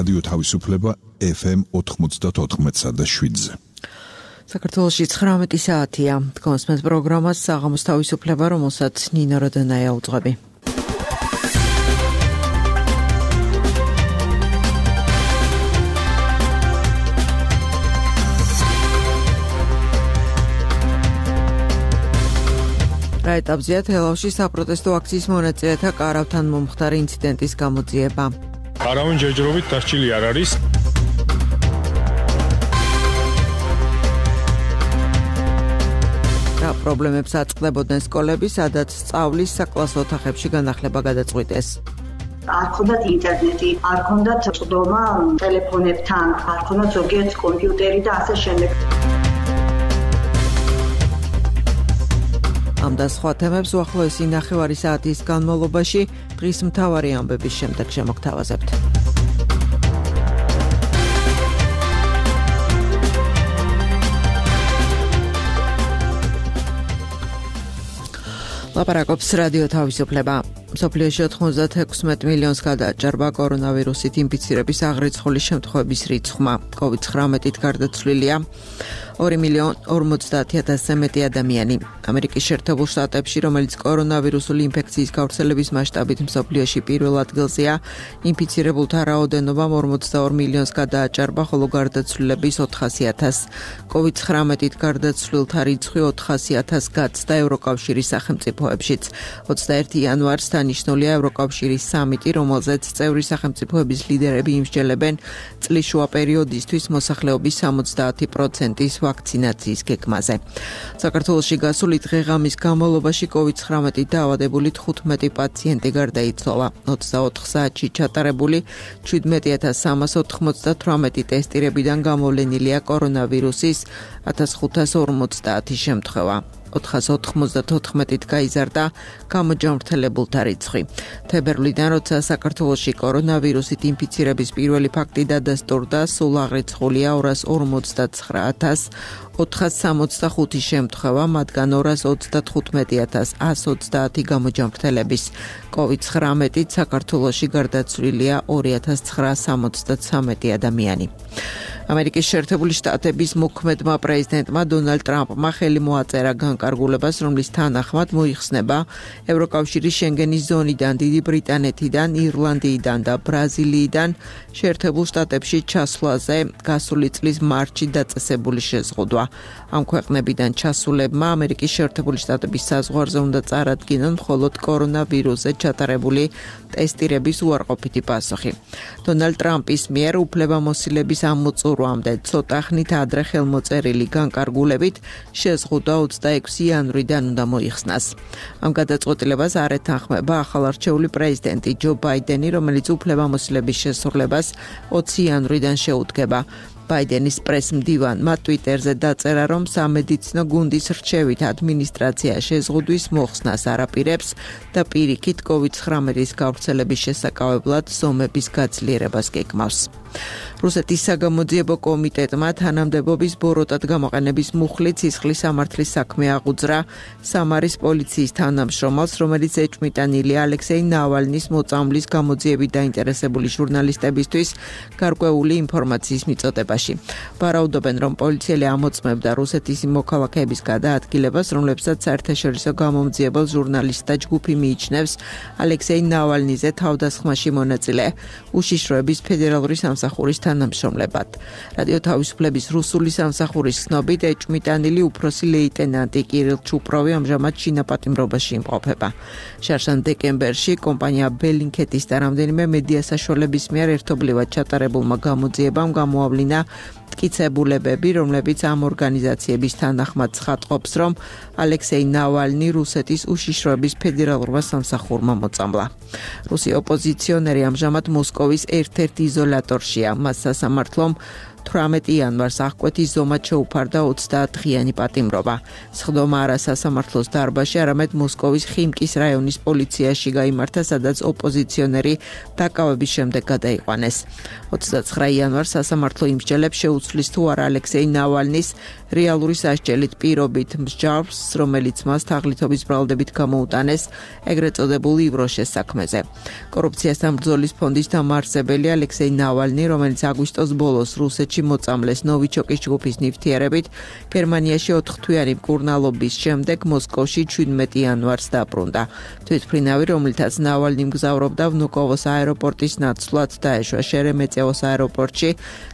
რადიო თავისუფლება FM 94.7-ზე. საქართველოში 19 საათია. კონსმეთ პროგრამას საღამოს თავისუფლება, რომელსაც ნინო როდანაია უძღვები. რა ეტაპზეა თელავში საპროტესტო აქციის მონაწილეთა კარავთან მომხდარი ინციდენტის გამოძიება? არავინ ჯერჯერობით დასჯილი არ არის. რა პრობლემებს აწყდებოდნენ სკოლები, სადაც სწავლის საკლასო ოთახებში განახლება გადაწყვიტეს? არ ქონდათ ინტერნეტი, არ ქონდათ წვდომა ტელეფონებთან, არ ქონდათ ზოგიერთ კომპიუტერი და ასე შემდეგ. ამ და სხვა თემებს უახლოესი ნახევარი საათის განმავლობაში დღის მთავარი ამბების შემდეგ შემოგთავაზებთ. ლაპარაკობს რადიო თავისუფლება. მსოფლიოში 96 მილიონს გადააჭარბა კორონავირუსით ინფიცირების აღრიცხული შემთხვევების რიცხვმა. COVID-19-ით გარდაცვლილია 2,50,000-ზე მეტი ადამიანი. ამერიკის შეერთებულ შტატებში, რომელიც კორონავირუსული ინფექციის გავრცელების მასშტაბით მსოფლიოში პირველ ადგილზეა, ინფიცირებულთა რაოდენობა 42 მილიონს გადააჭარბა, ხოლო გარდაცვლილების 400,000. COVID-19-ით გარდაცვლილთა რიცხვი 400,000 გაცდა ევროკავშირის სახელმწიფოებშიც. 21 იანვარს დანიშნულია ევროკავშირის სამიტი, რომელზეც წევრი სახელმწიფოების ლიდერები იმსჯელებენ წლის შუა პერიოდისთვის მოსახლეობის 70%-ის ვაქცინაციის გეგმაზე. საქართველოში გასული დღე-ღამის განმავლობაში COVID-19-ით დაავადებული 15 პაციენტი გარდაიცვალა. 24 საათში ჩატარებული 17,398 ტესტირებიდან გამოვლენილია კორონავირუსის 1550 შემთხვევა. 494-ით გაიზარდა გამოჯანმრთელებულთა რიცხვი. თებერვლიდან, როცა საქართველოში კორონავირუსით ინფიცირების პირველი ფაქტი დადასტურდა, სულ აღრიცხულია 245,465 შემთხვევა, მათგან 225,130 გამოჯანმრთელების. COVID-19-ით საქართველოში გარდაცვლილია 2,973 ადამიანი. ამერიკის შეერთებული შტატების მოქმედმა პრეზიდენტმა დონალდ ტრამპმა ხელი მოაწერა განკარგულებას, რომლის თანახმად მოიხსნება ევროკავშირის შენგენის ზონიდან, დიდი ბრიტანეთიდან, ირლანდიიდან და ბრაზილიიდან შეერთებულ შტატებში ჩასვლაზე გასული წლის მარტში დაწესებული შეზღუდვა. ამ ქვეყნებიდან ჩასულებმა ამერიკის შეერთებული შტატების საზღვარზე უნდა წარადგინონ მხოლოდ კორონავირუსზე ჩატარებული ტესტირების უარყოფითი პასუხი. დონალდ ტრამპის მიერ უფლებამოსილების ამოწურვამდე ცოტა ხნით ადრე ხელმოწერილი განკარგულებით შეზღუდვა 26 იანვრიდან უნდა მოიხსნას. ამ გადაწყვეტილებას არ ეთანხმება ახალარჩეული პრეზიდენტი ჯო ბაიდენი, რომელიც უფლებამოსილების შესრულებას 20 იანვრიდან შეუდგება. ბაიდენის პრესმდივანმა ტვიტერზე დაწერა, რომ სამედიცინო გუნდის რჩევით ადმინისტრაცია შეზღუდვის მოხსნას არაპირებს და პირიქით COVID-19-ის გავრცელების შესაკავებლად ზომების გაძლიერებას გეგმავს. რუსეთის საგამოძიებო კომიტეტმა თანამდებობის ბოროტად გამოყენების მუხლით სისხლის სამართლის საქმე აღუძრა სამარის პოლიციის თანამშრომელს, რომელიც ეჭვმიტანილია ალექსეი ნავალნის მოწამვლის გამოძიებით დაინტერესებული ჟურნალისტებისთვის გარკვეული ინფორმაციის მიწოდებაში. ვარაუდობენ, რომ პოლიციელი ამოწმებდა რუსეთის მოქალაქეების გადაადგილებას, რომლებსაც საერთაშორისო გამომძიებელ ჟურნალისტთა ჯგუფი მიიჩნევს ალექსეი ნავალნიზე თავდასხმაში მონაწილე უშიშროების ფედერალური სამსახურის თანამშრომლებად. რადიო თავისუფლების რუსული სამსახურის ცნობით, ეჭვმიტანილი უფროსი ლეიტენანტი კირილ ჩუპროვი ამჟამად ჩინაპატიმრობაში იმყოფება. შარშან დეკემბერში კომპანია ბელინქეთის და რამდენიმე მედია საშუალების მიერ ერთობლივად ჩატარებულმა გამოძიებამ გამოავლინა მტკიცებულებები, რომლებიც ამ ორგანიზაციების თანახმად ცხადყოფს, რომ ალექსეი ნავალნი რუსეთის უშიშროების ფედერალურმა სამსახურმა მოწამლა. რუსი ოპოზიციონერი ამჟამად მოსკოვის ერთ-ერთ იზოლატორშია. მას სასამართლომ 18 იანვარს აღკვეთის ზომად შეუფარდა 30 დღიანი პატიმრობა. სხდომა არა სასამართლოს დარბაზში, არამედ მოსკოვის ხიმკის რაიონის პოლიციაში გაიმართა, სადაც ოპოზიციონერი დაკავების შემდეგ გადაიყვანეს. 29 იანვარს სასამართლო იმსჯელებს შეუცვლის თუ არა ალექსეი ნავალნის რეალური სასჯელით პირობით მსჯავრს, რომელიც მას თაღლითობის ბრალდებით გამოუტანეს ეგრეთ წოდებულ ივროშეს საქმეზე. კორუფციასთან ბრძოლის ფონდის დამაარსებელი ალექსეი ნავალნი, რომელიც აგვისტოს ბოლოს რუსეთში მოწამლეს ნოვიჩოკის ჯგუფის ნივთიერებით, გერმანიაში 4 თვიანი მკურნალობის შემდეგ მოსკოვში 17 იანვარს დაბრუნდა. თვითმფრინავი, რომლითაც ნავალნი მგზავრობდა ვნუკოვოს აეროპორტის ნაცვლად, დაეშვა შერემეტიევოს აეროპორტში,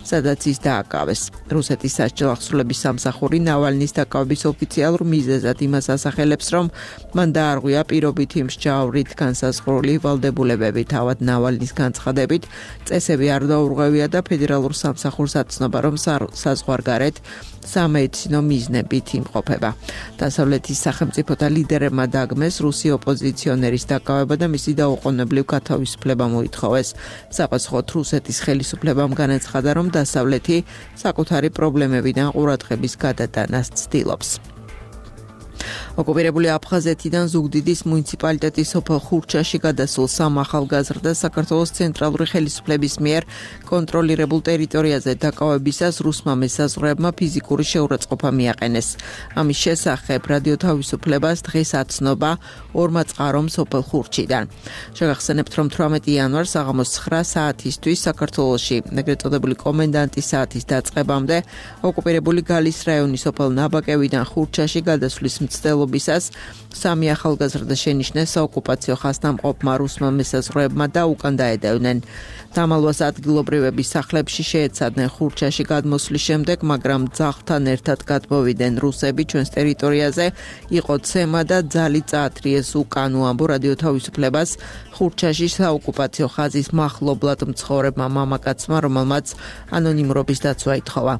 სადაც ის დააკავეს. რუსეთის სასჯელ ახსულების სამსახური ნავალნის დაკავების ოფიციალურ მიზეზად იმას ასახელებს, რომ მან დაარღვია პირობითი მსჯავრით განსაზღვრული ვალდებულებები. თავად ნავალნის განცხადებით, წესები არ დაურღვევია და ფედერალურ სამსახურს აცნობა, რომ საზღვარგარეთ სამედიცინო მიზნებით იმყოფება. დასავლეთის სახელმწიფოთა ლიდერებმა დაგმეს რუსი ოპოზიციონერის დაკავება და მისი დაუყოვნებლივ გათავისუფლება მოითხოვეს. საპასუხოდ რუსეთის ხელისუფლებამ განაცხადა, რომ დასავლეთი საკუთარი პრობლემებიდან ყურადღების გადატანას ცდილობს. ოკუპირებული აფხაზეთიდან ზუგდიდის მუნიციპალიტეტის სოფელ ხურჩაში გადასულ 3 ახალგაზრდას საქართველოს ცენტრალური ხელისუფლების მიერ კონტროლირებულ ტერიტორიაზე დაკავებისას რუსმა მესაზღვრეებმა ფიზიკური შეურაცხყოფა მიაყენეს. ამის შესახებ რადიო თავისუფლებას დღეს აცნობა 2 წყარომ სოფელ ხურჩიდან. შეგახსენებთ, რომ 18 იანვარს საღამოს 9 საათისთვის საქართველოში ეგრეთ წოდებული კომენდანტის საათის დაწყებამდე ოკუპირებული გალის რაიონის სოფელ ნაბაკევიდან ხურჩაში გადასვლის მცდელობისას 3 ახალგაზრდა შენიშნეს საოკუპაციო ხაზთამყოფმა რუსმა მესაზღვრეებმა და უკან დაედევნენ. დამალვას ადგილობრივების სახლებში შეეცადნენ ხურჩაში გადმოსვლის შემდეგ, მაგრამ ძაღლთან ერთად გადმოვიდნენ რუსები ჩვენს ტერიტორიაზე, იყო ცემა და ძალი წაათრიეს უკან, უამბო რადიო თავისუფლებას ხურჩაში საოკუპაციო ხაზის მახლობლად მცხოვრებმა მამაკაცმა, რომელმაც ანონიმურობის დაცვა ითხოვა.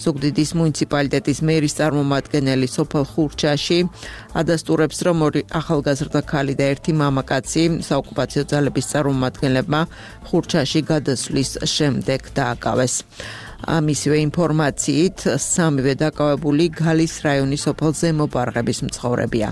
ზუგდიდის მუნიციპალიტეტის მერის წარმომადგენელი სოფელ ხურჩაში ადასტურებს, რომ 2 ახალგაზრდა ქალი და 1 მამაკაცი საოკუპაციო ძალების წარმომადგენლებმა ხურჩაში გადასვლის შემდეგ დააკავეს. მისივე ინფორმაციით, 3-ვე დაკავებული გალის რაიონის სოფელ ზემო ბარღების მცხოვრებია.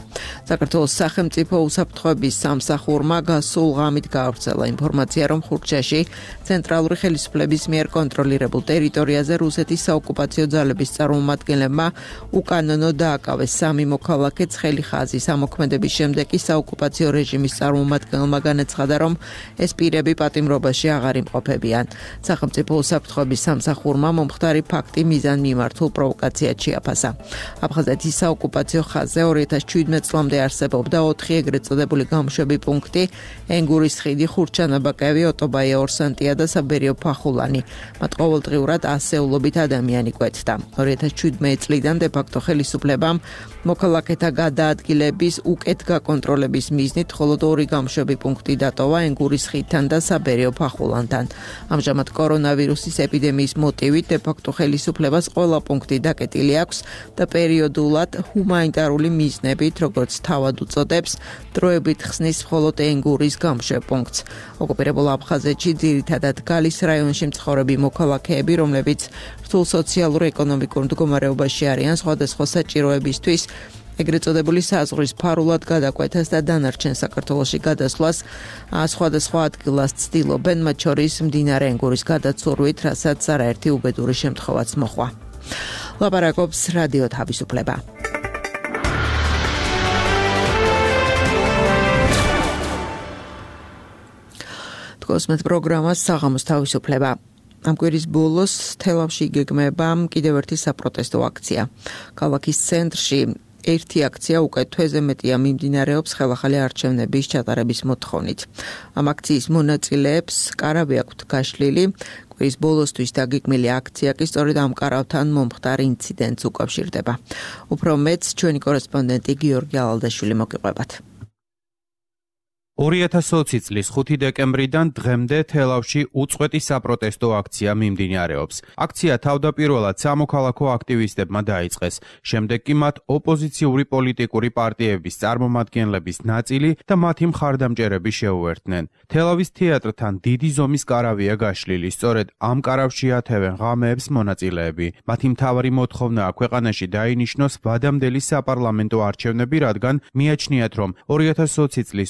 საქართველოს სახელმწიფო უსაფრთხოების სამსახურმა გასულ ღამით გაავრცელა ინფორმაცია, რომ ხურჩაში ცენტრალური ხელისუფლების მიერ კონტროლირებულ ტერიტორიაზე რუსეთის საოკუპაციო ძალების წარმომადგენლებმა უკანონო დააკავეს 3 მოქალაქე ცხელი ხაზის. ამოქმედების შემდეგ კი საოკუპაციო რეჟიმის წარმომადგენელმა განაცხადა, რომ ეს პირები პატიმრობაში აღარ იმყოფებიან. სახელმწიფო უსაფრთხოების სამსახურმა მომხდარი ფაქტი მიზანმიმართულ პროვოკაციად შეაფასა. აფხაზეთის საოკუპაციო ხაზზე 2017 წლამდე არსებობდა 4 ეგრეთ წოდებული გამშვები პუნქტი: ენგურის ხიდი, ხურჩანაბაკევი, ოტობაია ორსანტია და საბერიო ფახულანი. მათ ყოველდღიურად ასეულობით ადამიანი კვეთდა. 2017 წლიდან დე-ფაქტო ხელისუფლებამ მოქალაქეთა გადაადგილების უკეთ გაკონტროლების მიზნით მხოლოდ 2 გამშვები პუნქტი დატოვა ენგურის ხიდთან და საბერიო ფახულანთან. ამჟამად კორონავირუსის ეპიდემიის მოტივით დე-ფაქტო ხელისუფლებას ყველა პუნქტი დაკეტილი აქვს და პერიოდულად ჰუმანიტარული მიზნებით, როგორც თავად უწოდებს, დროებით ხსნის მხოლოდ ენგურის გამშვებ პუნქტს. ოკუპირებულ აფხაზეთში ძირითადად გალის რაიონში მცხოვრები მოქალაქეები, რომლებიც რთულ სოციალურ-ეკონომიკურ მდგომარეობაში არიან, სხვადასხვა საჭიროებისთვის ეგრეთ წოდებული საზღვრის ფარულად გადაკვეთას და დანარჩენ საქართველოში გადასვლას სხვადასხვა ადგილას ცდილობენ, მათ შორის მდინარე ენგურის გადაცურვით, რასაც არაერთი უბედური შემთხვევაც მოჰყვა. ლაპარაკობს რადიო თავისუფლება. თქოსმეთ პროგრამას საღამოს თავისუფლება. ამ კვირის ბოლოს თელავში იგეგმება კიდევ ერთი საპროტესტო აქცია. ქალაქის ცენტრში ერთი აქცია უკვე თვეზე მეტია მიმდინარეობს ხელახალი არჩევნების ჩატარების მოთხოვნით. ამ აქციის მონაწილეებს კარავი აქვთ გაშლილი. კვირის ბოლოსთვის დაგეგმილი აქცია კი სწორედ ამ კარავთან მომხდარ ინციდენტს უკავშირდება. უფრო მეტს ჩვენი კორესპონდენტი გიორგი ალალდაშვილი მოგიყვებათ. 2020 წლის 5 დეკემბრიდან დღემდე თელავში უწყვეტი საპროტესტო აქცია მიმდინარეობს. აქცია თავდაპირველად სამოქალაქო აქტივისტებმა დაიწყეს, შემდეგ კი მათ ოპოზიციური პოლიტიკური პარტიების წარმომადგენლების ნაწილი და მათი მხარდამჭერები შეუერთდნენ. თელავის თეატრთან დიდი ზომის კარავია გაშლილი, სწორედ ამ კარავში ათევენ ღამეებს მონაწილეები. მათი მთავარი მოთხოვნაა ქვეყანაში დაინიშნოს ვადამდელი საპარლამენტო არჩევნები, რადგან მიაჩნიათ, რომ 2020 წლის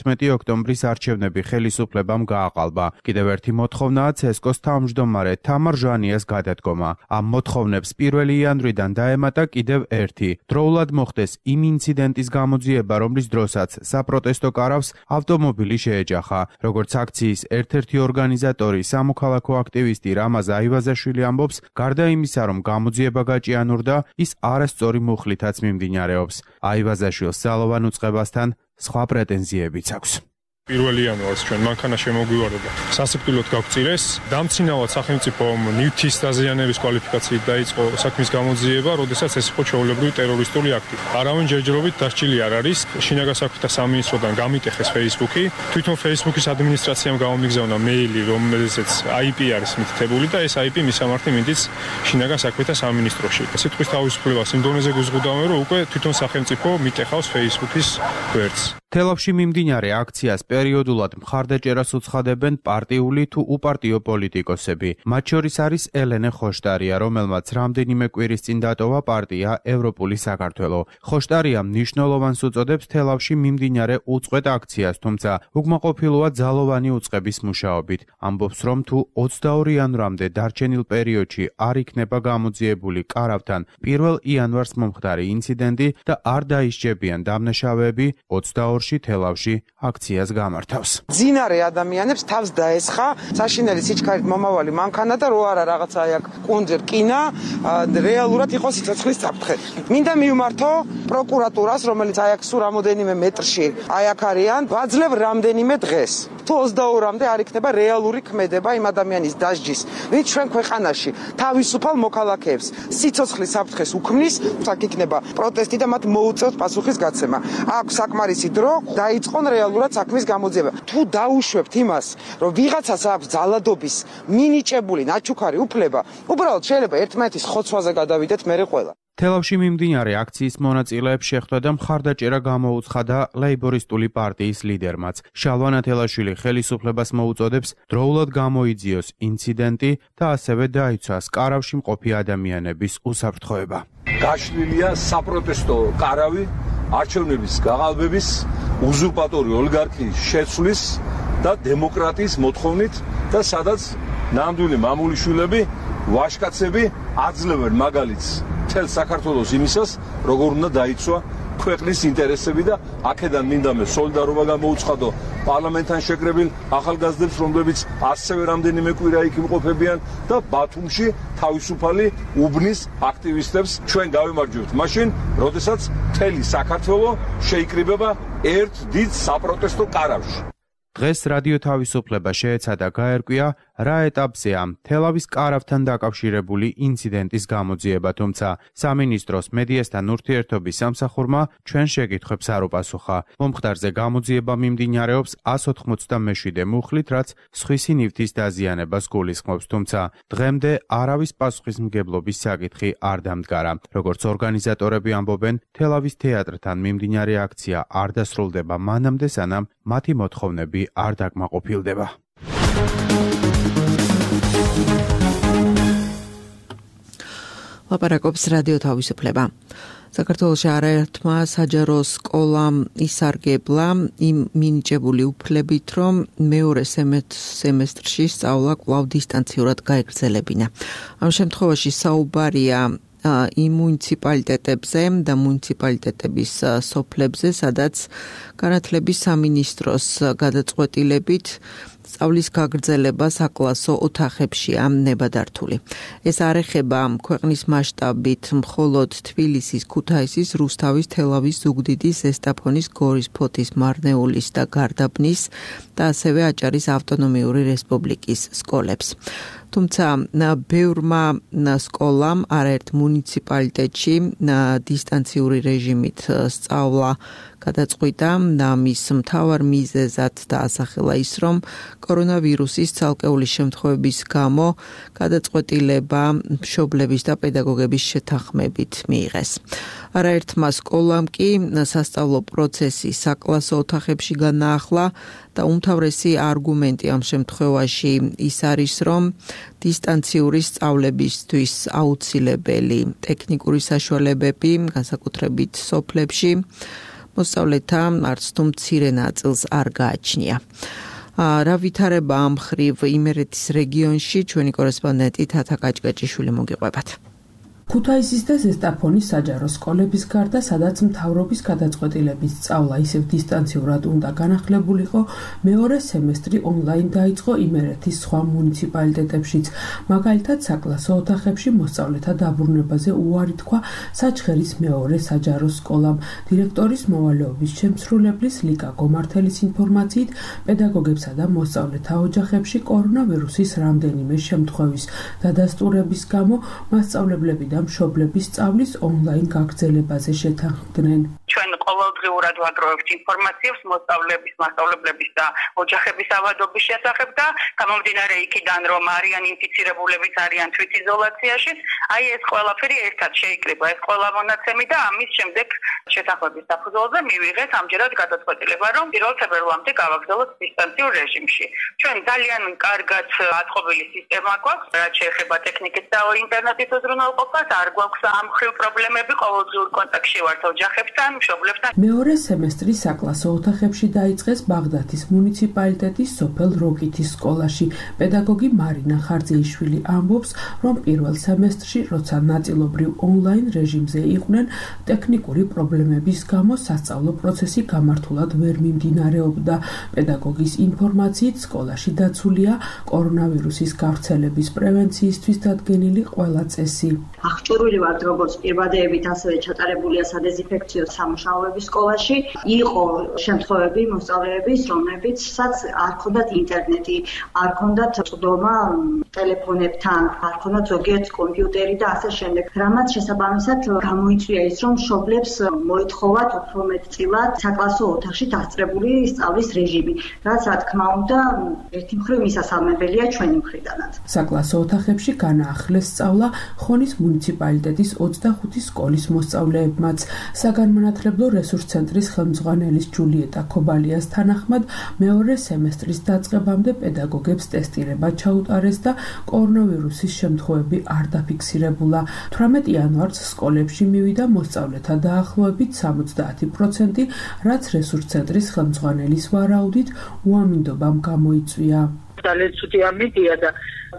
11 ოქტომბრის არჩევნები ხელისუფლებამ გააყალბა. კიდევ ერთი მოთხოვნაა ცესკოს თავმჯდომარე თამარ ჟანიას გადადგომა. ამ მოთხოვნებს 1 იანვრიდან დაემატა კიდევ ერთი. დროულად მოხდეს იმ ინციდენტის გამოძიება, რომლის დროსაც საპროტესტო კარავს ავტომობილი შეეჯახა. როგორც აქციის ერთ-ერთი ორგანიზატორი, სამოქალაქო აქტივისტი რამაზ აივაზაშვილი ამბობს, გარდა იმისა, რომ გამოძიება გაჭიანურდა, ის არასწორი მუხლითაც მიმდინარეობს. აივაზაშვილს ძალოვან უწყებასთან სხვა პრეტენზიებიც აქვს. 1 იანვარს ჩვენ მანქანა შემოგვივარდა. სასიკვდილოდ გავწირეს. დამცინავად სახელმწიფომ ნივთის დაზიანების კვალიფიკაციით დაიწყო საქმის გამოძიება, როდესაც ეს იყო ჩვეულებრივი ტერორისტული აქტი. არავინ ჯერჯერობით დასჯილი არ არის. შინაგან საქმეთა სამინისტროდან გამიტეხეს Facebook-ი. თვითონ Facebook-ის ადმინისტრაციამ გამომიგზავნა მეილი, რომელზეც IP არის მითითებული და ეს IP მისამართი მინდის შინაგან საქმეთა სამინისტროში. სიტყვის თავისუფლებას იმ დონეზე გვიზღუდავენ, რომ უკვე თვითონ სახელმწიფო მიტეხავს Facebook-ის გვერდს. თელავში მიმდინარე აქციას პერიოდულად მხარდაჭერას უცხადებენ პარტიული თუ უპარტიო პოლიტიკოსები. მათ შორის არის ელენე ხოშტარია, რომელმაც რამდენიმე კვირის წინ დატოვა პარტია ევროპული საქართველო. ხოშტარია მნიშვნელოვანს უწოდებს თელავში მიმდინარე უწყვეტ აქციას, თუმცა უკმაყოფილოა ძალოვანი უწყების მუშაობით. ამბობს, რომ თუ 22 იანვრამდე დარჩენილ პერიოდში არ იქნება გამოძიებული კარავთან 1 იანვარს მომხდარი ინციდენტი და არ დაისჯებიან დამნაშავეები, 22-ში თელავში აქციას გამართავს. ძინარე ადამიანებს თავს დაესხა საშინელი სიჩქარით მომავალი მანქანა და რო არა რაღაცა აქ კუნძი რკინა, რეალურად იყო სიცოცხლის საფრთხე. მინდა მივმართო პროკურატურას, რომელიც აი აქ სულ რამოდენიმე მეტრში აი აქ არიან, ვაძლევ რამდენიმე დღეს. თუ 22-მდე არ იქნება რეალური ქმედება იმ ადამიანის დასჯის, ვინც ჩვენ ქვეყანაში თავისუფალ მოქალაქეებს სიცოცხლის საფრთხეს უქმნის, აქ იქნება პროტესტი და მათ მოუწევთ პასუხის გაცემა. აქვს საკმარისი დრო დაიწყონ რეალურად საქმის გამოძიება. თუ დაუშვებთ იმას, რომ ვიღაცას აქვს ძალადობის მინიჭებული ნაჩუქარი უფლება, უბრალოდ შეიძლება ერთმანეთის ხოცვაზე გადავიდეთ მერე ყველა. თელავში მიმდინარე აქციის მონაწილეებს შეხვდა და მხარდაჭერა გამოუცხადა ლეიბორისტული პარტიის ლიდერმაც. შალვა თელაშვილი ხელისუფლებას მოუწოდებს დროულად გამოიძიოს ინციდენტი და ასევე დაიცვას კარავში მყოფი ადამიანების უსაფრთხოება. გაშლილია საპროტესტო კარავი არჩევნების გაყალბების, უზურპატორი ოლიგარქიის შეცვლის და დემოკრატიის მოთხოვნით და სადაც ნამდვილი მამულიშვილები, ვაჟკაცები აძლევენ მაგალითს მთელ საქართველოს იმისას, როგორ უნდა დაიცვა ქვეყნის ინტერესები და აქედან მინდამე სოლიდარობა გამოუცხადო პარლამენტთან შეკრებილ ახალგაზრდებს, რომლებიც ასევე რამდენიმე კვირა იქ იმყოფებიან და ბათუმში თავისუფალი უბნის აქტივისტებს ჩვენ გავიმარჯვებთ მაშინ, როდესაც მთელი საქართველო შეიკრიბება ერთ დიდ საპროტესტო კარავში. დღეს რადიო თავისუფლება შეეცადა გაერკვია, რა ეტაპზეა თელავის კარავთან დაკავშირებული ინციდენტის გამოძიება, თუმცა სამინისტროს მედიასთან ურთიერთობის სამსახურმა ჩვენ შეკითხვებს არ უპასუხა. მომხდარზე გამოძიება მიმდინარეობს 187 მუხლით, რაც სხვისი ნივთის დაზიანებას გულისხმობს, თუმცა დღემდე არავის პასუხისმგებლობის საკითხი არ დამდგარა. როგორც ორგანიზატორები ამბობენ, თელავის თეატრთან მიმდინარე აქცია არ დასრულდება მანამდე, სანამ მათი მოთხოვნები არ დაკმაყოფილდება. ლაპარაკობს რადიო თავისუფლება. საქართველოში არაერთმა საჯარო სკოლამ ისარგებლა იმ მინიჭებული უფლებით, რომ მეორე სემესტრში სწავლა კვლავ დისტანციურად გაეგრძელებინა. ამ შემთხვევაში საუბარია იმ მუნიციპალიტეტებზე და მუნიციპალიტეტების სოფლებზე, სადაც განათლების სამინისტროს გადაწყვეტილებით სწავლის გაგრძელება საკლასო ოთახებშია ნებადართული. ეს არ ეხება ქვეყნის მასშტაბით მხოლოდ თბილისის, ქუთაისის, რუსთავის, თელავის, ზუგდიდის, ზესტაფონის, გორის, ფოთის, მარნეულის და გარდაბნის და ასევე აჭარის ავტონომიური რესპუბლიკის სკოლებს. თუმცა ბევრმა სკოლამ არაერთ მუნიციპალიტეტში დისტანციური რეჟიმით სწავლა გადაწყვიტა და მის მთავარ მიზეზად დაასახელა ის, რომ კორონავირუსის ცალკეული შემთხვევების გამო გადაწყვეტილება მშობლების და პედაგოგების შეთანხმებით მიიღეს. არაერთმა სკოლამ კი სასწავლო პროცესი საკლასო ოთახებში განაახლა და უმთავრესი არგუმენტი ამ შემთხვევაში ის არის, რომ დისტანციური სწავლებისთვის აუცილებელი ტექნიკური საშუალებები, განსაკუთრებით სოფლებში, მოსწავლეთა არც თუ მცირე ნაწილს არ გააჩნია. რა ვითარება ამ ხრივ იმერეთის რეგიონში ჩვენი კორესპონდენტი თათა კაჭკაჭიშვილი მოგიყვებათ. ქუთაისის და ზესტაფონის საჯარო სკოლების გარდა, სადაც მთავრობის გადაწყვეტილებით სწავლა ისევ დისტანციურად უნდა განახლებულიყო, მეორე სემესტრი ონლაინ დაიწყო იმერეთის სხვა მუნიციპალიტეტებშიც. მაგალითად, საკლასო ოთახებში მოსწავლეთა დაბრუნებაზე უარი თქვა საჩხერის მეორე საჯარო სკოლამ. დირექტორის მოვალეობის შემსრულებლის ლიკა გომართელის ინფორმაციით, პედაგოგებსა და მოსწავლეთა ოჯახებში კორონავირუსის რამდენიმე შემთხვევის დადასტურების გამო მასწავლებლები და მშობლების სწავლის ონლაინ გაგრძელებაზე შეთანხმდნენ. ჩვენ ყოველდღიურად ვაგროვებთ ინფორმაციას მოსწავლეების, მასწავლებლების და ოჯახების ავადობის შესახებ და გამომდინარე იქიდან, რომ არიან ინფიცირებულებიც, არიან თვითიზოლაციაში, აი ეს ყველაფერი ერთად შეიკრიბა, ეს ყველა მონაცემი და ამის შემდეგ შეთანხმების საფუძველზე მივიღეთ ამჯერად გადაწყვეტილება, რომ 1 თებერვლამდე გავაგრძელოთ დისტანციურ რეჟიმში. ჩვენ ძალიან კარგად აწყობილი სისტემა გვაქვს, რაც შეეხება ტექნიკის და ინტერნეტის უზრუნველყოფას, არ გვაქვს ამ ხრივ პრობლემები, ყოველდღიურ კონტაქტში ვართ ოჯახებთან, მშობლებთან. მეორე სემესტრი საკლასო ოთახებში დაიწყეს ბაღდათის მუნიციპალიტეტის სოფელ როკითის სკოლაში. პედაგოგი მარინა ხარძეიშვილი ამბობს, რომ პირველ სემესტრში, როცა ნაწილობრივ ონლაინ რეჟიმზე იყვნენ, ტექნიკური პრობლემების გამო სასწავლო პროცესი გამართულად ვერ მიმდინარეობდა. პედაგოგის ინფორმაციით, სკოლაში დაცულია კორონავირუსის გავრცელების პრევენციისთვის დადგენილი ყველა წესი. აღჭურვილი ვართ როგორც პირვადეებით, ასევე ჩატარებულია სადეზინფექციო სამუშაოები სკოლაში. იყო შემთხვევები მოსწავლეების, რომლებიცაც არ ჰქონდათ ინტერნეტი, არ ჰქონდათ წვდომა ტელეფონებთან, არ ჰქონდათ ზოგიერთ კომპიუტერი და ასე შემდეგ. რამაც შესაბამისად გამოიწვია ის, რომ მშობლებს მოითხოვათ უფრო მეტწილად საკლასო ოთახში დასწრებული სწავლის რეჟიმი, რაც რა თქმა უნდა ერთი მხრივ მისასალმებელია ჩვენი მხრიდანაც. საკლასო ოთახებში განაახლეს სწავლა ხონის მუნიციპალიტეტის 25 სკოლის მოსწავლეებმაც. საგანმანათლებლო რესურს ცენტრის ხელმძღვანელის ჯულიეტა ქობალიას თანახმად, მეორე სემესტრის დაწყებამდე პედაგოგებს ტესტირება ჩაუტარეს და კორონავირუსის შემთხვევები არ დაფიქსირებულა. 18 იანვარს სკოლებში მივიდა მოსწავლეთა დაახლოებით 70%, რაც რესურს ცენტრის ხელმძღვანელის ვარაუდით უამინდობამ გამოიწვია. ძალიან ცუდი ამიდია და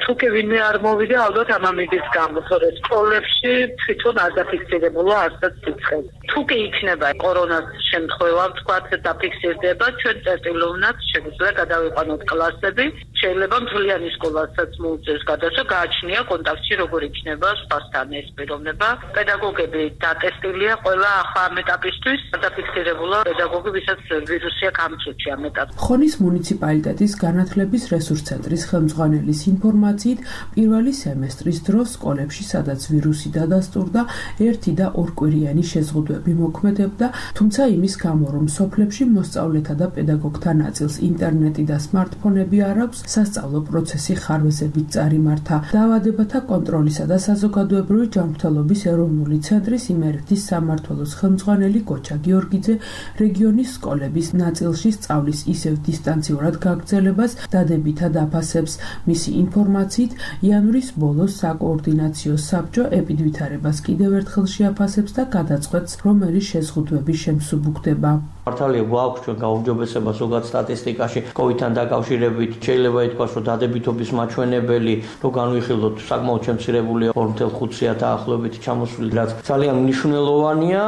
თუკი ვინმე არ მოვიდა, ალბათ ამ ამიდის გამო, თორე სკოლებში თვითონ არ დაფიქსირებულა არცაც სიცხე. თუკი იქნება კორონას შემთხვევა, ვთქვათ, დაფიქსირდება, ჩვენ წერტილოვნად შეგვიძლია გადავიყვანოთ კლასები, შეიძლება მთლიანი სკოლასაც მოუწევს გადასვა, გააჩნია კონტაქტში როგორ იქნება სხვასთან ეს პიროვნება. პედაგოგები დატესტილია ყველა ახლა ამ ეტაპისთვის, დაფიქსირებულა პედაგოგი, ვისაც ვირუსი აქვს ამ წუთში ამ ეტაპში. ხონის მუნიციპალიტეტის განათლების რესურს ცენტრის ხელმძღვანელის ინფორმაციით, პირველი სემესტრის დროს სკოლებში, სადაც ვირუსი დადასტურდა, 1 და 2 კვირიანი შეზღუდვები მოქმედებდა, თუმცა იმის გამო, რომ სოფლებში მოსწავლეთა და პედაგოგთა ნაწილს ინტერნეტი და სმარტფონები არ აქვს, სასწავლო პროცესი ხარვეზებით წარიმართა. დაავადებათა კონტროლისა და საზოგადოებრივი ჯანმრთელობის ეროვნული ცენტრის იმერეთის სამმართველოს ხელმძღვანელი გოჩა გიორგიძე რეგიონის სკოლების ნაწილში სწავლის ისევ დისტანციურად გაგრძელებას დადებითად აფასებს. მისი ინფორმაციით, იანვრის ბოლოს საკოორდინაციო საბჭო ეპიდვითარებას კიდევ ერთხელ შეაფასებს და გადაწყვეტს, რომ ერის შეზღუდვები შემსუბუქდება. მართალია გვაქვს ჩვენ გაუმჯობესება ზოგად სტატისტიკაში COVID-თან დაკავშირებით, შეიძლება ითქვას, რომ დადებითობის მაჩვენებელი, რომ განვიხილოთ საკმაოდ შემცირებულია 2.5 დაახლოებით ჩამოსვლილი, რაც ძალიან მნიშვნელოვანია.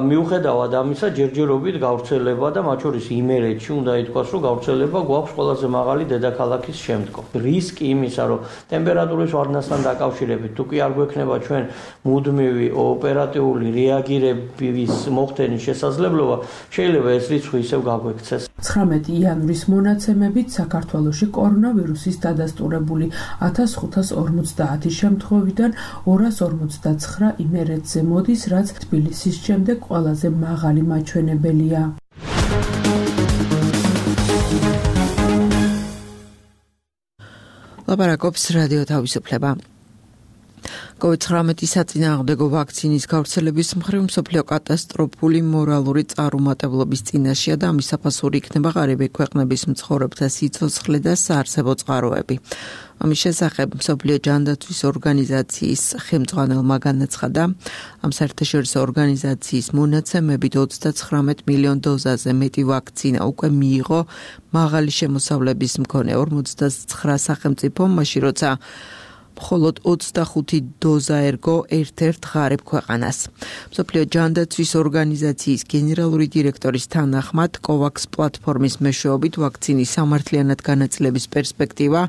მიუხედავად ამისა, ჯერჯერობით გავრცელება და მათ შორის იმერეთში უნდა ითქვას, რომ გავრცელება გვაქვს ყველაზე მაღალი დედაქალაქის შემდგომ. რისკი იმისა, რომ ტემპერატურის ვარდნასთან დაკავშირებით, თუ კი არ გვექნება ჩვენ მუდმივი ოპერატიული რეაგირების მოხდენის შესაძლებლობა, შეიძლება ეს რიცხვი ისევ გაგვექცეს. 19 იანვრის მონაცემებით საქართველოში კორონავირუსის დადასტურებული 1550 შემთხვევიდან 259 იმერეთზე მოდის, რაც თბილისის შემდეგ ყველაზე მაღალი მაჩვენებელია. ლაპარაკობს რადიო თავისუფლება. COVID-19 საწინააღმდეგო ვაქცინის გავრცელების მხრივ მსოფლიო კატასტროფული მორალური წარუმატებლობის წინაშეა და ამის საფასური იქნება ღარიბი ქვეყნების მცხოვრებთა სიცოცხლე და საარსებო წყაროები. ამის შესახებ მსოფლიო ჯანდაცვის ორგანიზაციის ხელმძღვანელმა განაცხადა, ამ საერთაშორისო ორგანიზაციის მონაცემებით 39 მილიონ დოზაზე მეტი ვაქცინა უკვე მიიღო მაღალი შემოსავლების მქონე 59 სახელმწიფომ, მაშინ როცა მხოლოდ 25 დოზა ერგო ერთ-ერთ ღარიბ ქვეყანას. მსოფლიო ჯანდაცვის ორგანიზაციის გენერალური დირექტორის თანახმად, COVAX პლატფორმის მეშვეობით ვაქცინის სამართლიანად განაწილების პერსპექტივა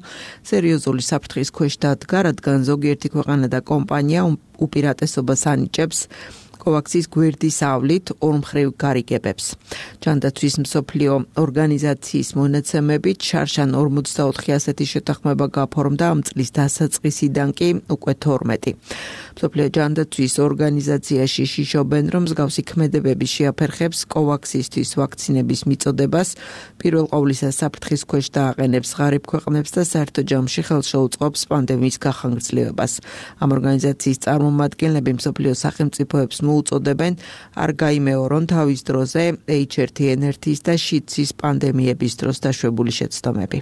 სერიოზული საფრთხის ქვეშ დადგა, რადგან ზოგიერთი ქვეყანა და კომპანია უპირატესობას ანიჭებს COVAX-ის გვერდის ავლით ორმხრივ გარიგებებს. ჯანდაცვის მსოფლიო ორგანიზაციის მონაცემებით შარშან 44 ასეთი შეთანხმება გაფორმდა ამ წლის დასაწყისიდან კი უკვე 12. მსოფლიო ჯანდაცვის ორგანიზაციაში შიშობენ, რომ მსგავსი ქმედებები შეაფერხებს COVAX-ისთვის ვაქცინების მიწოდებას, პირველ ყოვლისა საფრთხის ქვეშ დააყენებს ღარიბ ქვეყნებს და საერთო ჯამში ხელს შეუწყობს პანდემიის გახანგრძლივებას. ამ ორგანიზაციის წარმომადგენლები მსოფლიო სახელმწიფოებს უწოდებენ არ გაიმეორონ თავის დროზე H1N1-ის და შიდსის პანდემიების დროს დაშვებული შეცდომები.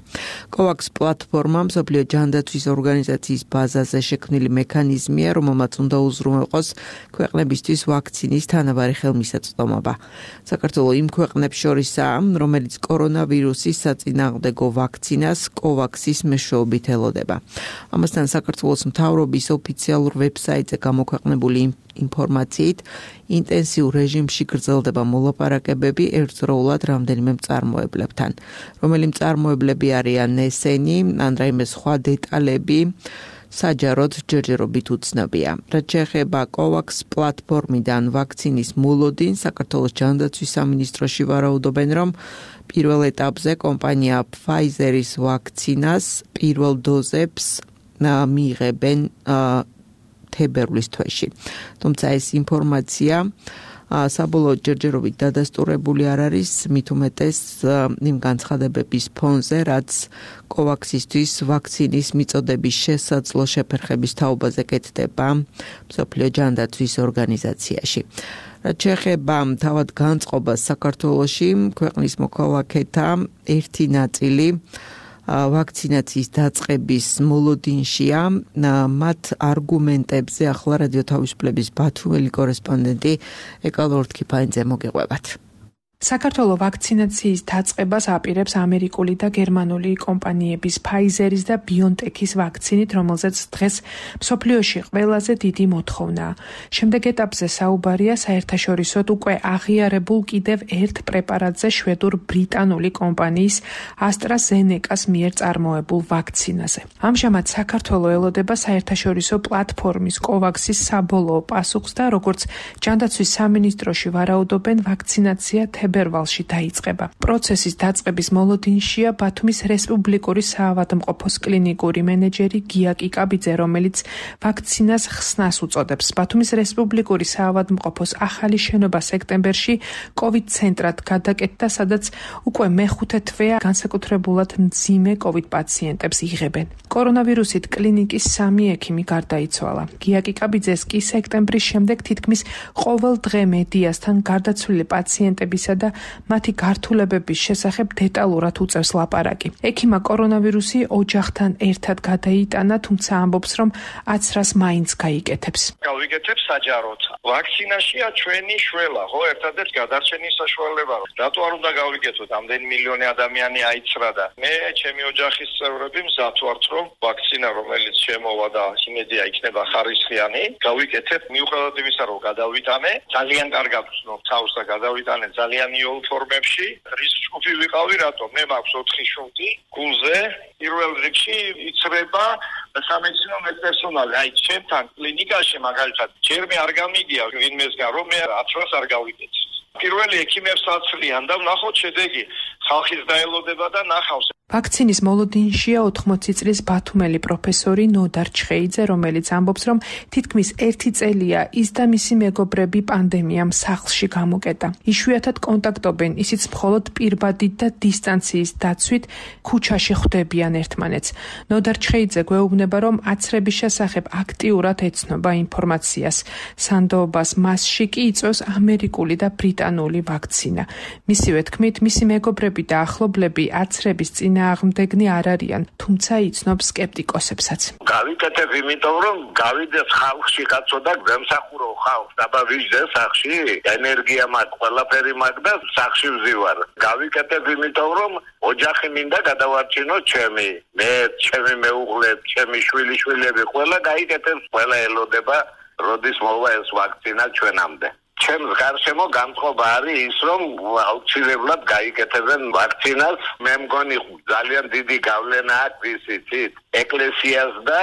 COVAX პლატფორმა მსოფლიო ჯანდაცვის ორგანიზაციის ბაზაზე შექმნილი მექანიზმია, რომელმაც უნდა უზრუნველყოს ქვეყნებისთვის ვაქცინის თანაბარი ხელმისაწვდომობა. საქართველოს იმ ქვეყნებს შორისაა, რომელიც კორონავირუსის საწინააღმდეგო ვაქცინას COVAX-ის მეშვეობით ელოდება. ამასთან საქართველოს მთავრობის ოფიციალურ ვებსაიტზე გამოქვეყნებული ინფორმაციით ინტენსიურ რეჟიმში გრძელდება მოლაპარაკებები ერთდროულად რამდენიმე მწარმოებლებთან. რომელი მწარმოებლები არიან ესენი, ან რაიმე სხვა დეტალები საჯაროდ ჯერჯერობით უცნობია. რაც შეეხება COVAX პლატფორმიდან ვაქცინის მოლოდინს, საქართველოს ჯანდაცვის სამინისტროში ვარაუდობენ, რომ პირველ ეტაპზე კომპანია Pfizer-ის ვაქცინას პირველ დოზებს მიიღებენ თებერვლის თვეში. თუმცა ეს ინფორმაცია საბოლოოდ ჯერჯერობით დადასტურებული არ არის, მით უმეტეს იმ განცხადებების ფონზე, რაც COVAX-ისთვის ვაქცინის მიწოდების შესაძლო შეფერხების თაობაზე კეთდება მსოფლიო ჯანდაცვის ორგანიზაციაში. რაც შეეხება თავად განწყობას საქართველოში, ქვეყნის მოქალაქეთა ერთი ნაწილი ვაქცინაციის დაწყების მოლოდინშია. მათ არგუმენტებზე ახლა რადიო თავისუფლების ბათუმელი კორესპონდენტი ეკალორთქიფაინძე მოგეყვებათ. საქართველოს ვაქცინაციის დაწყებას აპირებს ამერიკული და გერმანული კომპანიების Pfizer-ის და BioNTech-ის ვაქცინით, რომელზეც დღეს მსოფლიოში ყველაზე დიდი მოთხოვნაა. შემდეგ ეტაპზე საუბარია საერთაშორისოდ უკვე აღიარებულ კიდევ ერთ პრეპარატზე შვედურ-ბრიტანული კომპანიის AstraZeneca-ს მიერ წარმოებულ ვაქცინაზე. ამჟამად საქართველოს ელოდება საერთაშორისო პლატფორმის COVAX-ის საბოლოო პასუხს და როგორც ჯანდაცვის სამინისტროში ვარაუდობენ, ვაქცინაცია თებერვალში დაიწყება. პროცესის დაწყების მოლოდინშია ბათუმის რესპუბლიკური საავადმყოფოს კლინიკური მენეჯერი გია კიკაბიძე, რომელიც ვაქცინას ხსნას უწოდებს. ბათუმის რესპუბლიკური საავადმყოფოს ახალი შენობა სექტემბერში COVID ცენტრად გადაკეთდა, სადაც უკვე მეხუთე თვეა განსაკუთრებულად მძიმე COVID პაციენტებს იღებენ. კორონავირუსით კლინიკის 3 ექიმი გარდაიცვალა. გია კიკაბიძეს კი სექტემბრის შემდეგ თითქმის ყოველ დღე მედიასთან გარდაცვლილი პაციენტებისა და მათი გართულებების შესახებ დეტალურად უწევს ლაპარაკი. ექიმა კორონავირუსი ოჯახთან ერთად გადაიტანა, თუმცა ამბობს, რომ აცრას მაინც გაიკეთებს. გავიკეთებ საჯაროდ. ვაქცინაშია ჩვენი შველა, ხო, ერთადერთი გადარჩენის საშუალება. რატო არ უნდა გავიკეთოთ? ამდენი მილიონი ადამიანი აიცრა და მე ჩემი ოჯახის წევრები მზად ვართ, რომ ვაქცინა, რომელიც შემოვა და იმედია იქნება ხარისხიანი, გავიკეთებ მიუხედავად იმისა, რომ გადავიტანე, ძალიან კარგად ვცნობ თავს და გადავიტანე ძალიან იოლ ფორმებში. რის ჯგუფი ვიყავი, რატომ? მე მაქვს 4 შუნტი გულზე, პირველ რიგში იცრება სამედიცინო პერსონალი. აი, ჩემთან კლინიკაში მაგალითად, ჯერ მე არ გამიგია ვინმესგან, რომ მე აცრას არ გავიკეთე. პირველი ექიმებს აცლიან და ვნახოთ შედეგი. ხალხის დაელოდება და ნახავს. ვაქცინის მოლოდინშია 80 წლის ბათუმელი პროფესორი ნოდარ ჩხეიძე, რომელიც ამბობს, რომ თითქმის 1 წელია ის და მისი მეგობრები პანდემიამ სახლში გამოკეტა. იშვიათად კონტაქტობენ, ისიც მხოლოდ პირბადით და დისტანციის დაცვით ქუჩაში ხვდებიან ერთმანეთს. ნოდარ ჩხეიძე გვეუბნება, რომ აცრების შესახებ აქტიურად ეცნობა ინფორმაციას. სანდოობას მასში კი იწვევს ამერიკული და ბრიტანული ვაქცინა. მისივე თქმით, მისი მეგობრები და ახლობლები აცრების წინააღმდეგნი არ არიან, თუმცა იცნობს სკეპტიკოსებსაც. გავიკეთებ იმიტომ, რომ გავიდეს ხალხში კაცო და გემსახურო ხალხს, დაბა ვიჟდე სახში, ენერგია მაქვს, ყველაფერი მაქვს და სახში ვზივარ. გავიკეთებ იმიტომ, რომ ოჯახი მინდა გადავარჩინო ჩემი, მე, ჩემი მეუღლე, ჩემი შვილიშვილები, ყველა გაიკეთებს, ყველა ელოდება, როდის მოვა ეს ვაქცინა ჩვენამდე. ჩემს გარშემო განწყობა არის ის, რომ აუცილებლად გაიკეთებენ ვაქცინას. მე მგონი ძალიან დიდი გავლენა აქვს ისიც ეკლესიას და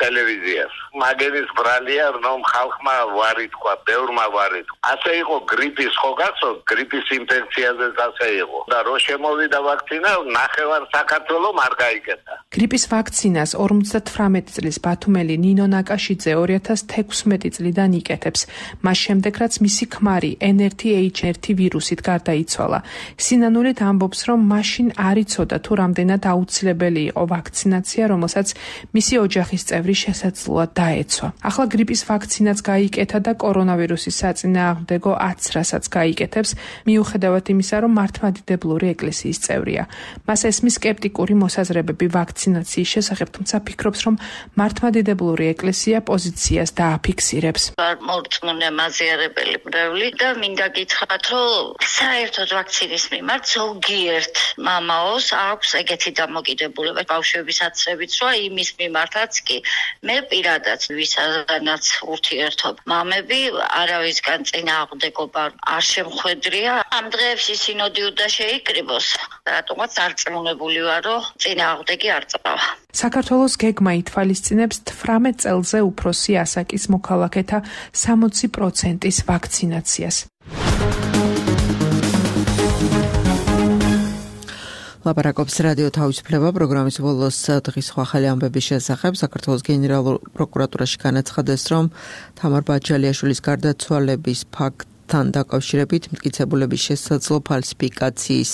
ტელევიზიას. მაგერის ბრალია, რომ ხალხმა ვარი თქვა, ბევრმა ვარი თქვა. ასე იყო გრიპის, ხო გახსოვთ, გრიპის ინფექციაზეც ასე იყო. და რო შემოვიდა ვაქცინა, ნახევარ საქართველოს არ გაიკეთა. გრიპის ვაქცინას 58 წლის ბათუმელი ნინო ნაკაშიძე 2016 წლიდან იკეთებს. მას შემდეგ რაც მისი ქმარი NRTH1 ვირუსით გარდაიცვალა. სინანულით ამბობს, რომ მაშინ არ იცოდა თუ რამდენად აუცილებელი იყო ვაქცინაცია, რომელსაც მისი ოჯახის წევრი შესაძლოა დაეცვა. ახლა გრიპის ვაქცინაც გაიკეთა და კორონავირუსის საწინააღმდეგო აცრასაც გაიკეთებს, მიუხედავად იმისა, რომ მართლმადიდებლური ეკლესიის წევრია. მას ესმის სკეპტიკური მოსაზრებები ვაქცინაციის შესახებ, თუმცა ფიქრობს, რომ მართლმადიდებლური ეკლესია პოზიციას დააფიქსირებს. არ მორწმუნე მაზიარებელი და მინდა გითხრათ, რომ საერთოდ ვაქცინის მიმართ ზოგიერთ მამაოს აქვს ეგეთი დამოკიდებულება ბავშვების აცრებით, რომ იმის მიმართაც კი მე პირადად ვისაც ურთიერთობ მამები არავისგან წინააღმდეგობა არ შემხვედრია. ამ დღეებში სინოდი უნდა შეიკრიბოს, რატომაც არწმუნებული ვარ, რომ წინააღმდეგი არ წავა. საქართველოს გეგმა ითვალისწინებს 18 წელზე უფროსი ასაკის მოქალაქეთა 60%-ის ვაქცინაციას. ლაპარაკობს რადიო თავისუფლება პროგრამის ბოლოს დღის ახალი ამბების შესახებ. საქართველოს გენერალურ პროკურატურაში განაცხადეს, რომ თამარ ბაჩალიაშვილის გარდაცვალების ფაქტთან დაკავშირებით მტკიცებულების შესაძლო ფალსიფიკაციის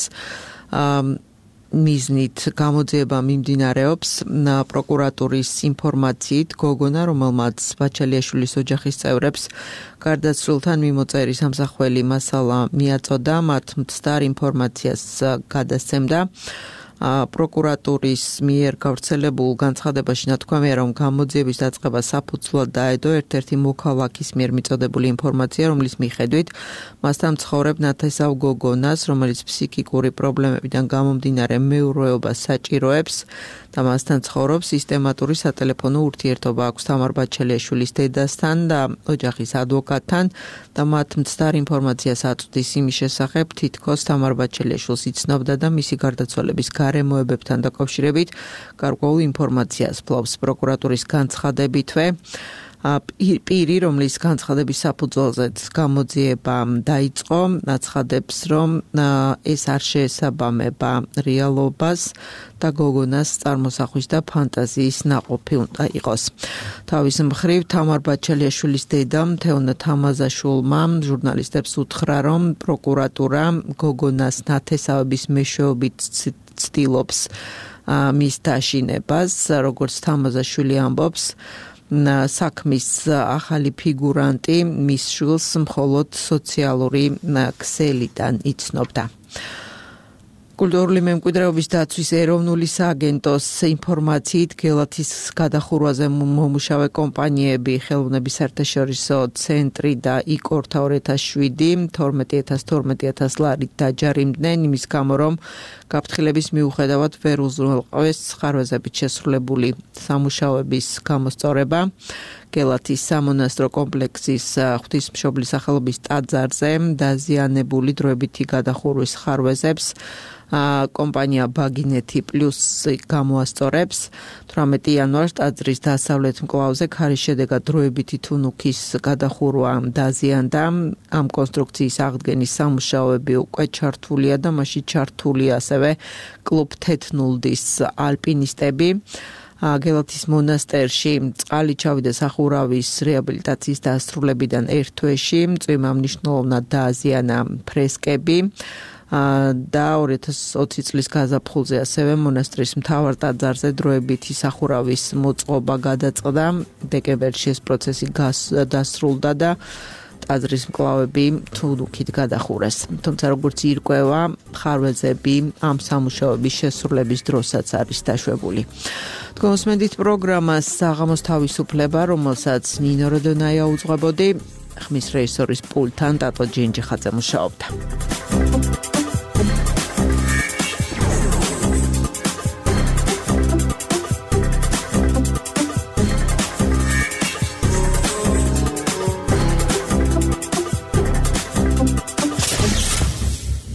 მიზნით გამოძიება მიმდინარეობს. პროკურატურის ინფორმაციით, გოგონა, რომელმაც ბაჩალიაშვილის ოჯახის წევრებს გარდაცვლილთან მიმოწერის ამსახველი მასალა მიაწოდა, მათ მცდარ ინფორმაციას გადასცემდა. პროკურატურის მიერ გავრცელებულ განცხადებაში ნათქვამია, რომ გამოძიების დაწყება საფუძვლად დაედო ერთ-ერთი მოქალაქის მიერ მიწოდებული ინფორმაცია, რომლის მიხედვით მასთან მცხოვრებ ნათესავ გოგონას, რომელიც ფსიქიკური პრობლემებიდან გამომდინარე მეურვეობას საჭიროებს და მასთან ცხოვრობს, სისტემატური სატელეფონო ურთიერთობა აქვს თამარ ბაჩალიაშვილის დედასთან და ოჯახის ადვოკატთან და მათ მცდარ ინფორმაციას აწვდის იმის შესახებ, თითქოს თამარ ბაჩალიაშვილს იცნობდა და მისი გარდაცვალების გარემოებებთან დაკავშირებით გარკვეულ ინფორმაციას ფლობს. პროკურატურის განცხადებითვე პირი, რომლის განცხადების საფუძველზეც გამოძიება დაიწყო, აცხადებს, რომ ეს არ შეესაბამება რეალობას და გოგონას წარმოსახვის და ფანტაზიის ნაყოფი უნდა იყოს. თავის მხრივ თამარ ბაჩალიაშვილის დედამ თეონა თამაზაშვილმა ჟურნალისტებს უთხრა, რომ პროკურატურა გოგონას ნათესავების მეშვეობით ცდილობს მის დაშინებას, როგორც თამაზაშვილი ამბობს. საქმის ახალი ფიგურანტი მის შვილს მხოლოდ სოციალური ქსელიდან იცნობდა. კულტურული მემკვიდრეობის დაცვის ეროვნული სააგენტოს ინფორმაციით, გელათის გადახურვაზე მომუშავე კომპანიები ხელოვნების საერთაშორისო ცენტრი და იკორთა 2007 12,000 ლარით დაჯარიმდნენ იმის გამო, რომ გაფრთხილების მიუხედავად ვერ უზრუნველყვეს ხარვეზებით შესრულებული სამუშაოების გამოსწორება. გელათის სამონასტრო კომპლექსის ღვთისმშობლის სახელობის ტაძარზე დაზიანებული დროებითი გადახურვის ხარვეზებს კომპანია ბაგინეთი პლუს გამოასწორებს 18 იანვარს ტაძრის დასავლეთ მკლავზე ქარის შედეგად დროებითი თუნუქის გადახურვა დაზიანდა ამ კონსტრუქციის აღდგენის სამუშაოები უკვე ჩართულია და მასში ჩართულია ასევე კლუბ თეთნულდის ალპინისტები გელათის მონასტერში წყალი ჩავიდა სახურავის რეაბილიტაციის დასრულებიდან ერთ თვეში წვიმა მნიშვნელოვნად დააზიანა ფრესკები და 2020 წლის გაზაფხულზე ასევე მონასტრის მთავარ ტაძარზე დროებითი სახურავის მოწყობა გადაწყდა დეკემბერში ეს პროცესი დასრულდა და ტაძრის მკლავები თუნუქით გადახურეს თუმცა როგორც ირკვევა ხარვეზები ამ სამუშაოების შესრულების დროსაც არის დაშვებული თქვენს პროგრამას საღამოს თავისუფლება რომელსაც ნინო როდონაია უძღვებოდი ხმის რეჟისორის პულტთან ტატო ჯინჯიხაძე მუშაობდა